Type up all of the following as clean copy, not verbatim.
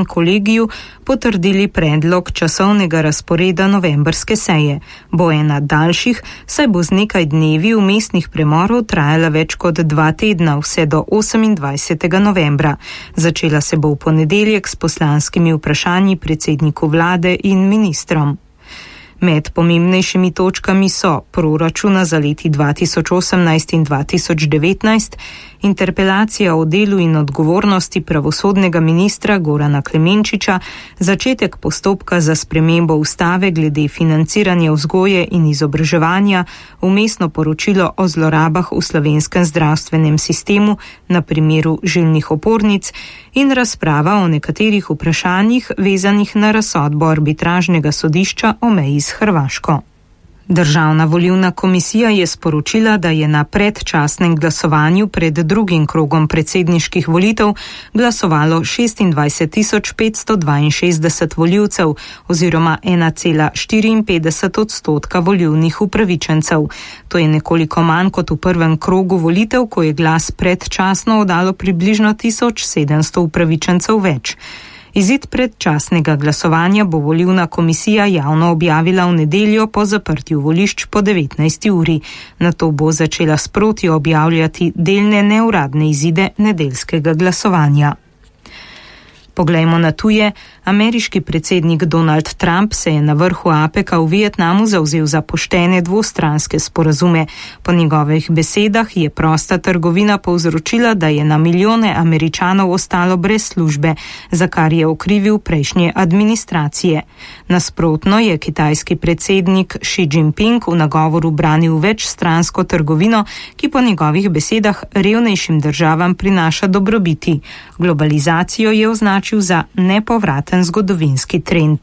kolegiju potrdili predlog časovnega razporeda novembrske seje. Bo ena daljših, saj bo z nekaj dnevi vmesnih premorov trajala več kot 2 tedna, vse do 28. novembra. Začela se bo v ponedeljek s poslanskimi vprašanji predsedniku vlade in ministrom. Med pomembnejšimi točkami so proračuna za leti 2018 in 2019, interpelacija o delu in odgovornosti pravosodnega ministra Gorana Klemenčiča, začetek postopka za spremembo ustave glede financiranja vzgoje in izobraževanja, vmesno poročilo o zlorabah v slovenskem zdravstvenem sistemu na primeru žilnih opornic in razprava o nekaterih vprašanjih vezanih na razsodbo arbitražnega sodišča o meji s Hrvaško. Državna volilna komisija je sporočila, da je na predčasnem glasovanju pred drugim krogom predsedniških volitev glasovalo 26.562 volivcev oziroma 1,54% volilnih upravičencev. To je nekoliko manj kot v prvem krogu volitev, ko je glas predčasno oddalo približno 1700 upravičencev več. Izid predčasnega glasovanja bo volilna komisija javno objavila v nedeljo po zaprtju volišč po 19. uri. Nato bo začela sproti objavljati delne neuradne izide nedeljskega glasovanja. Poglejmo na tuje. Ameriški predsednik Donald Trump se je na vrhu APEC-a v Vietnamu zavzel za poštene dvostranske sporazume. Po njegovih besedah je prosta trgovina povzročila, da je na milijone Američanov ostalo brez službe, za kar je okrivil prejšnje administracije. Nasprotno je kitajski predsednik Xi Jinping v nagovoru branil večstransko trgovino, ki po njegovih besedah revnejšim državam prinaša dobrobiti. Globalizacijo je označil za nepovraten zgodovinski trend.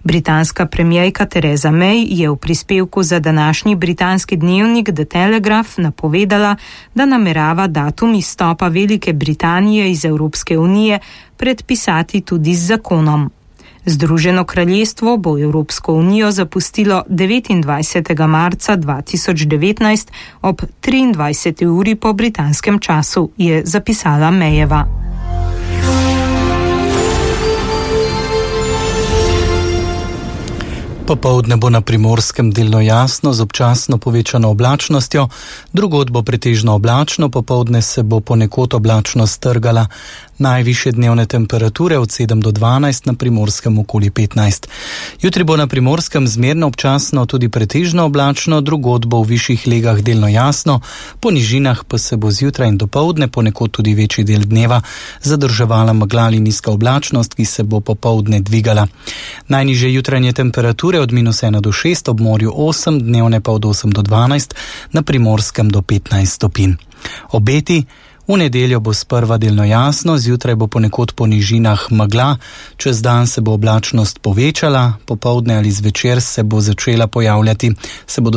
Britanska premierka Theresa May je v prispevku za današnji britanski dnevnik The Telegraph napovedala, da namerava datum izstopa Velike Britanije iz Evropske unije predpisati tudi z zakonom. Združeno kraljestvo bo Evropsko unijo zapustilo 29. marca 2019 ob 23. uri po britanskem času, je zapisala Mayeva. Popoldne bo na Primorskem delno jasno z občasno povečano oblačnostjo, drugod bo pretežno oblačno, popoldne se bo ponekod oblačnost trgala. Najvišje dnevne temperature od 7 do 12, na Primorskem okoli 15. Jutri bo na Primorskem zmerno občasno tudi pretežno oblačno, drugod bo v višjih legah delno jasno, po nižinah pa se bo zjutraj in dopoldne ponekod tudi večji del dneva zadrževala megla ali nizka oblačnost, ki se bo popoldne dvigala. Najnižje jutranje temperature od -1 do 6, ob morju 8, dnevne pa od 8 do 12, na Primorskem do 15 stopinj. Obeti: v nedeljo bo sprva delno jasno, zjutraj bo ponekod po nižinah megla, čez dan se bo oblačnost povečala, popoldne ali zvečer se bodo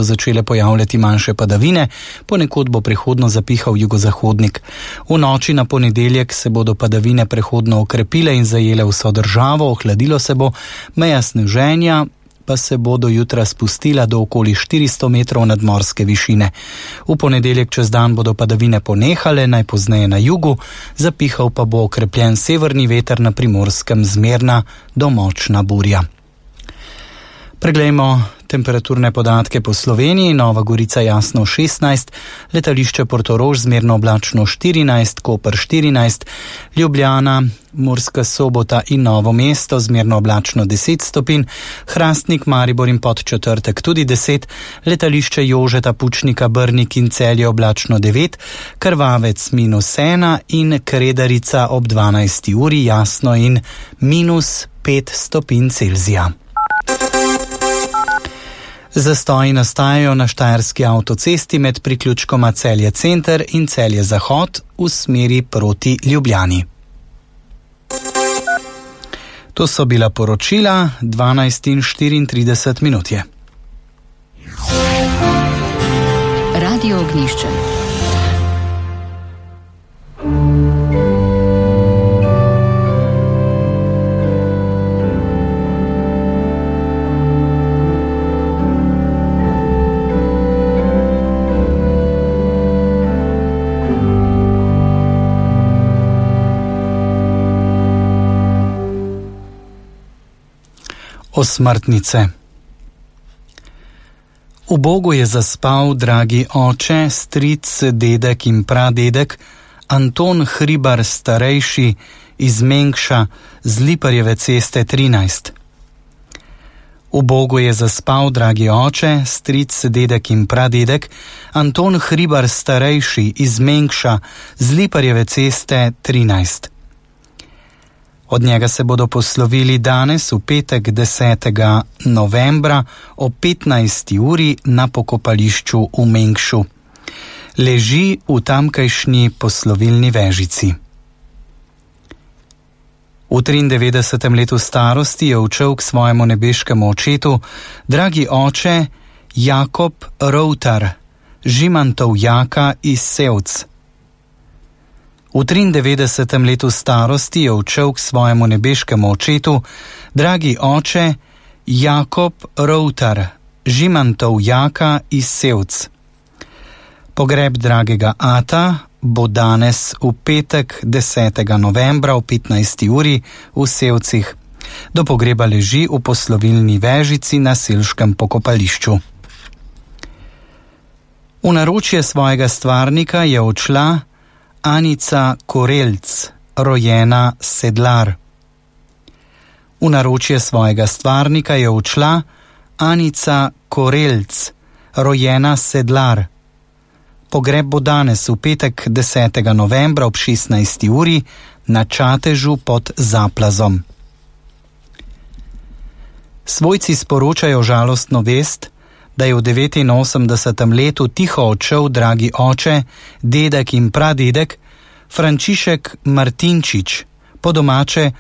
začele pojavljati manjše padavine, ponekod bo prehodno zapihal jugozahodnik. V noči na ponedeljek se bodo padavine prehodno okrepile in zajele vso državo, ohladilo se bo, meja sneženja pa se bo do jutra spustila do okoli 400 metrov nadmorske višine. V ponedeljek čez dan bodo padavine ponehale, najpozneje na jugu, zapihal pa bo okrepljen severni veter, na Primorskem zmerna do močna burja. Preglejmo temperaturne podatke po Sloveniji. Nova Gorica jasno 16, letališče Portorož zmerno oblačno 14, Koper 14, Ljubljana, Murska Sobota in Novo mesto zmerno oblačno 10 stopinj, Hrastnik, Maribor in Podčetrtek tudi 10, letališče Jožeta Pučnika, Brnik in Celje oblačno 9, Krvavec -1 in Kredarica ob 12. uri jasno in -5 stopinj Celzija. Zastoji nastajajo na Štajerski avtocesti med priključkoma Celje Center in Celje Zahod v smeri proti Ljubljani. To so bila poročila, 12:34 je. Radio Ognjišče. Osmrtnice. V Bogu je zaspal dragi oče, stric, dedek in pradedek, Anton Hribar starejši iz Mengša z Liparjeve ceste 13. V Bogu je zaspal dragi oče, stric, dedek in pradedek, Anton Hribar starejši iz Mengša z Liparjeve ceste 13. Od njega se bodo poslovili danes v petek 10. novembra o 15. uri na pokopališču v Mengšu. Leži v tamkajšnji poslovilni vežici. V 93. letu starosti je odšel k svojemu nebeškemu očetu dragi oče Jakob Routar, Žimantov Jaka iz Sevc. V 93. letu starosti je odšel k svojemu nebeškemu očetu dragi oče Jakob Routar, Žimantov Jaka iz Sevc. Pogreb dragega ata bo danes v petek 10. novembra o 15. uri v Sevcih. Do pogreba leži v poslovilni vežici na selškem pokopališču. V naročje svojega stvarnika je odšla Anica Korelc, rojena Sedlar. V naročje svojega stvarnika je odšla Anica Korelc, rojena Sedlar. Pogreb bo danes v petek 10. novembra ob 16. uri na Čatežu pod Zaplazom. Svojci sporočajo žalostno vest, da je v 89. letu tiho odšel dragi oče, dedek in pradedek Frančišek Martinčič, po domače